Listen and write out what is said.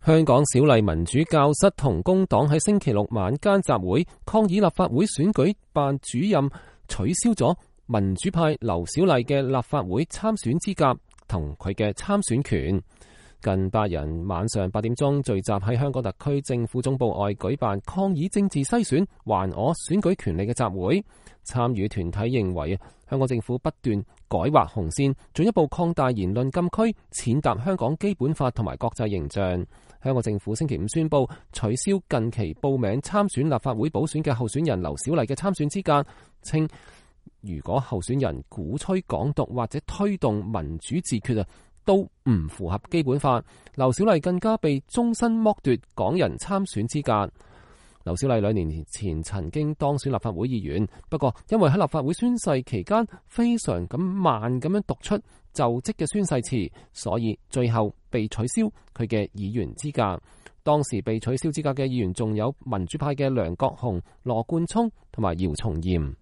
香港小麗民主教室同工黨喺星期六晚間集會，抗議立法會選舉辦主任取消咗民主派劉小麗嘅立法會參選資格同佢嘅參選權。近百人晚上8點鐘聚集喺香港特區政府總部外舉辦抗議政治篩選還我選舉權利嘅集會。參與團體認為香港政府不斷改劃紅線，進一步擴大言論禁區，踐踏香港基本法同埋國際形象。香港政府星期五宣布取消近期報名參選立法會補選嘅候選人劉小麗嘅參選資格，稱如果候選人鼓吹港獨或者推動民主自決都唔符合基本法。劉小麗更加被終身剝奪港人參選資格。劉小麗2年前曾經當選立法會議員，不過因為喺立法會宣誓期間非常咁慢咁樣讀出就職嘅宣誓詞，所以最後被取消佢嘅議員資格。當時被取消資格嘅議員仲有民主派嘅梁國雄、羅冠聰同埋姚松炎。